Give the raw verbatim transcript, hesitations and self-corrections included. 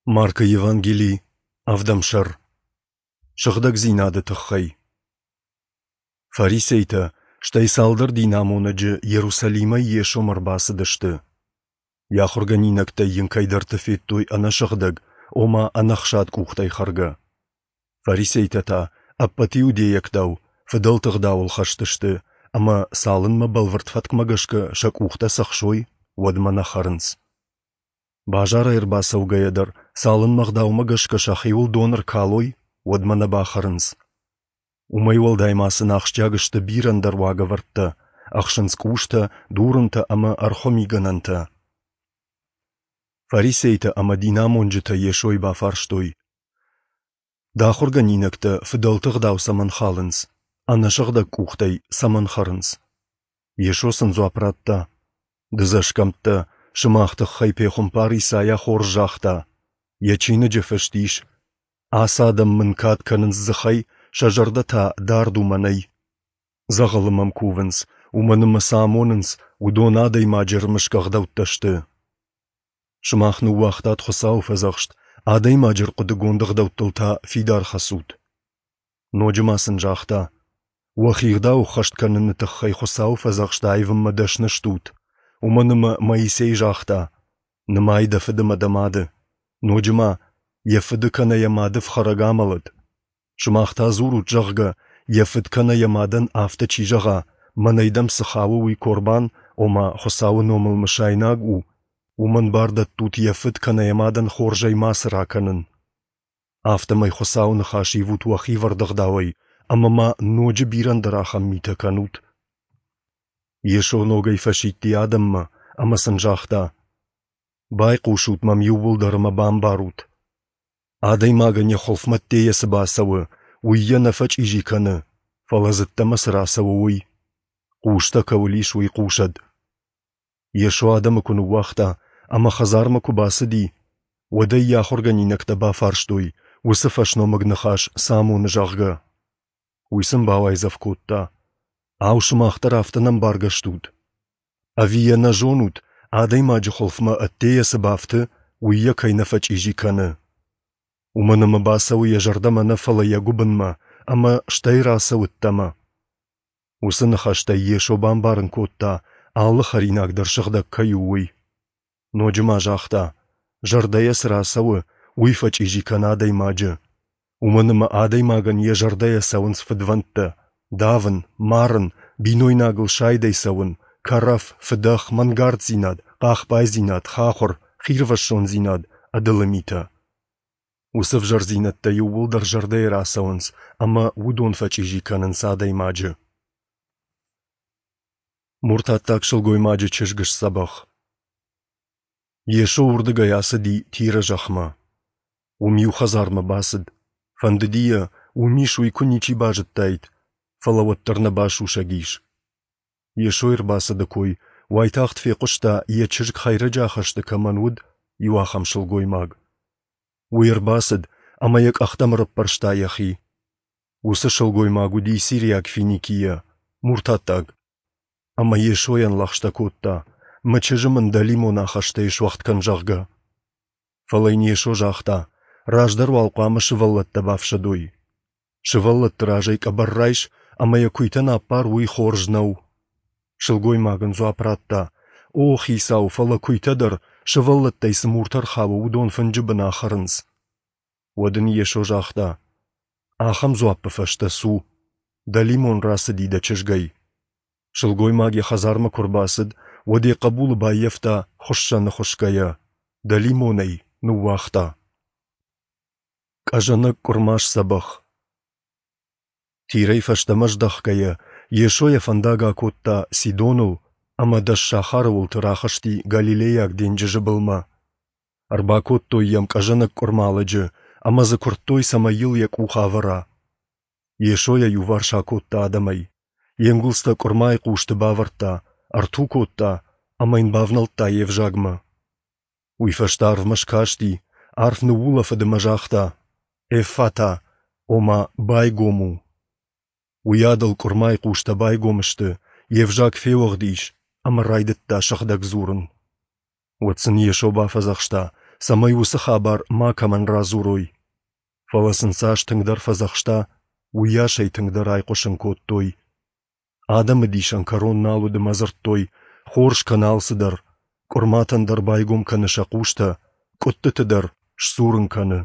Маркы Евангели, ӕвдӕм сӕр. Сыгъдӕгдзинады тыххӕй. Фарисейтӕ, стӕй цалдӕр динамонӕджы Иерусалимӕй Йесомӕ ӕрбацыдысты. Йӕ ахуыргӕнинӕгтӕй йын кӕйдӕрты федтой ӕнӕсыгъдӕг, ома ӕнӕхсад къухтӕй хӕргӕ. Фарисейтӕ та, ӕппӕт иудейӕгтау, фыдӕлты ӕгъдауыл хӕст сты, ӕмӕ цалынмӕ бӕлвырд фӕткмӕ гӕсгӕ сӕ къухтӕ цӕхсой, уӕдмӕ нӕ хӕрынц. Базарӕй ӕрбацӕугӕйӕ дӕр, цалынмӕ ӕгъдаумӕ гӕсгӕ сӕхиуыл дон ӕркалой, уӕдмӕ нӕ бахӕрынц. Уымӕй уӕлдай ма сын ахсджиаг сты бирӕ ӕндӕр уагӕвӕрдтӕ, ӕхсынц къустӕ, дурынтӕ ӕмӕ ӕрхуы мигӕнӕнтӕ. Фарисейтӕ ӕмӕ динамонджытӕ Йесойы бафарстой: Дӕ ахуыргӕнинӕгтӕ фыдӕлты ӕгъдау цӕмӕн халынц, ӕнӕсыгъдӕг къухтӕй цӕмӕн хӕрынц? Йесо сын дзуапп радта: Дыдзӕсгӕмттӕ, сымах тыххӕй пехуымпар Исайа хорз загъта. Йӕ чиныджы фыст ис: Ацы адӕм мын кад кӕнынц дзыхӕй, сӕ зӕрдӕ та дард у мӕнӕй. Дзӕгъӕлы мӕм кувынц, уымӕн ӕмӕ цы амонынц, уыдон адӕймаджы ӕрмысгӕ ӕгъдӕуттӕ сты. Сымах ныууагътат Хуыцауы фӕдзӕхст, адӕймаджы ӕрхъуыдыгонд ӕгъдӕуттыл та фидар хӕцут. Ноджы ма сын загъта: Уӕхи ӕгъдау ӕххӕст кӕныны тыххӕй Хуыцауы фӕдзӕхст аивынмӕ дӕсны стут, уымӕн ӕмӕ Моисей загъта: Нымай дӕ фыды ӕмӕ дӕ мады. Ноджы ма, йӕ фыды кӕнӕ йӕ мады фхӕрӕг амӕлӕд. Сымах та дзурут, зӕгъгӕ, йӕ фыд кӕнӕ йӕ мадӕн афтӕ чи зӕгъа, мӕнӕй дӕм цы хауы, уый корбан, ома Хуыцауы номыл мысайнаг у, уымӕн бар дӕттут йӕ фыд кӕнӕ йӕ мадӕн хорзӕй мацы ракӕнын. Афтӕмӕй Хуыцауы ныхас ивут уӕхи ӕвӕрд ӕгъдауӕй, ӕмӕ ма ноджы бирӕ ӕндӕр ахӕм митӕ кӕнут. Йесо ногӕй фӕсидти адӕммӕ ӕмӕ сын загъта: Байхъусут мӕм иууылдӕр ӕмӕ бамбарут. Адӕймагӕн йӕ хуылфмӕ ӕддейӕ цы бацӕуы, уый йӕ нӕ фӕчъизи кӕны, фӕлӕ дзы ӕддӕмӕ цы рацӕуы, уый. Хъустӕ кӕуыл ис, уый хъусӕд. Йесо адӕмы куы ныууагъта ӕмӕ хӕдзармӕ куы бацыди, уӕд ӕй йӕ ахуыргӕнинӕгтӕ бафарстой, уыцы фӕсномыг ныхас цы амоны, зӕгъгӕ. Уый сын бауайдзӕф кодта: Ау, сымах дӕр афтӕ нӕмбаргӕ стут? Ӕви йӕ нӕ зонут, адӕймаджы хуылфмӕ ӕддейӕ цы бафты, уый йӕ кӕй нӕ фӕчъизи кӕны? Уымӕн ӕмӕ бацӕуы йӕ зӕрдӕмӕ нӕ, фӕлӕ йӕ гуыбынмӕ, ӕмӕ стӕй рацӕуы ӕддӕмӕ. Уыцы ныхӕстӕй Йесо бамбарын кодта, алы хӕринаг дӕр сыгъдӕг кӕй у, уый. Ноджы ма загъта: зӕрдӕйӕ цы рацӕуы, уый фӕчъизи кӕны адӕймаджы. Уымӕн ӕмӕ адӕймагӕн йӕ зӕрдӕйӕ цӕуынц фыдвӕндтӕ, давын, марын, бинойнагыл сайдӕй цӕуын, кӕрӕф, фыдӕх, мӕнгарддзинад, хъахбайдзинад, хахуыр, хирвӕссондзинад, ӕдылы митӕ. Уыцы ӕвзӕрдзинӕдтӕ иууылдӕр зӕрдӕйӕ рацӕуынц ӕмӕ уыдон фӕчъизи кӕнынц адӕймаджы. Муртаттаг сылгоймаджы чызг сдзӕбӕх. Йесо уырдыгӕй ацыди Тиры зӕхмӕ. Уым иу хӕдзармӕ бацыд. Фӕндыди йӕ, уым ис, уый куы ничи базыдтаид, фӕлӕ уӕддӕр нӕ басусӕг ис. Йесойы ӕрбацыды кой уайтагъд фехъуыста, йӕ чызг хӕйрӕджы ахӕсты кӕмӕн уыд, иу ахӕм сылгоймаг. Уый ӕрбацыд ӕмӕ йӕ къӕхтӕм ӕрӕппӕрста йӕхи. Уыцы сылгоймаг уыди сириаг Финикийӕ, муртаттаг. Ӕмӕ Йесойӕн лӕгъстӕ кодта, мӕ чызджы мын дӕлимон ахӕстӕй суӕгъд кӕн, зӕгъгӕ. Фӕлӕ йын Йесо загъта, раздӕр уал хъуамӕ сывӕллӕттӕ бафсӕдой. Сывӕллӕтты разӕй къӕбӕр райс ӕмӕ йӕ куыйтӕн аппар, уый хорз нӕу. Сылгоймаг ын дзуапп радта: О, Хицау, фӕлӕ куыйтӕ дӕр, сывӕллӕттӕй цы муртӕ ӕрхауы, уыдон фынджы бын ахӕрынц. Уӕд ын Йесо загъта: Ахӕм дзуаппы фӕстӕ цу, дӕлимон рацыди дӕ чызгӕй. Сылгоймаг йӕ хӕдзармӕ куы ӕрбацыд, уӕд йӕ хъӕбулы баййӕфта хуыссӕны хуысгӕйӕ, дӕлимон ӕй ныууагъта. Къӕзӕнӕг къуырма сдзӕбӕх. Тирӕй фӕстӕмӕ здӕхгӕйӕ, Йесо йӕ фӕндаг акодта Сидоныл ӕмӕ дӕс сахары уылты рахызти Галилейаг денджызы былмӕ. Ӕрбакодтой йӕм къӕзӕнӕг къуырма лӕджы ӕмӕ дзы куырдтой, цӕмӕй йыл йӕ къух авӕра. Йесо йӕ иуварс акодта адӕмӕй. Йе нгуылдзтӕ къуырмайы хъусты бавӕрдта, ӕрту кодта ӕмӕ йын бавнӕлдта йе взагмӕ. Уый фӕстӕ арвмӕ скасти, арф ныуулӕфыд ӕмӕ загъта: Эффата, ома байгом у. Уыйадыл къуырмайы хъустӕ байгом сты, йе взаг феуӕгъд ис ӕмӕ райдыдта сыгъдӕг дзурын. Уӕд сын Йесо бафӕдзӕхста, цӕмӕй уыцы хабар макӕмӕн радзурой. Фӕлӕ сын цас тынгдӕр фӕдзӕхста, уыйас ӕй тынгдӕр айхъуысын кодтой. Адӕмы дисӕн кӕрон нал уыд ӕмӕ дзырдтой, хорз кӕны алцыдӕр, къуырматӕн дӕр байгом кӕны сӕ хъустӕ, къуыттыты дӕр сдзурын кӕны.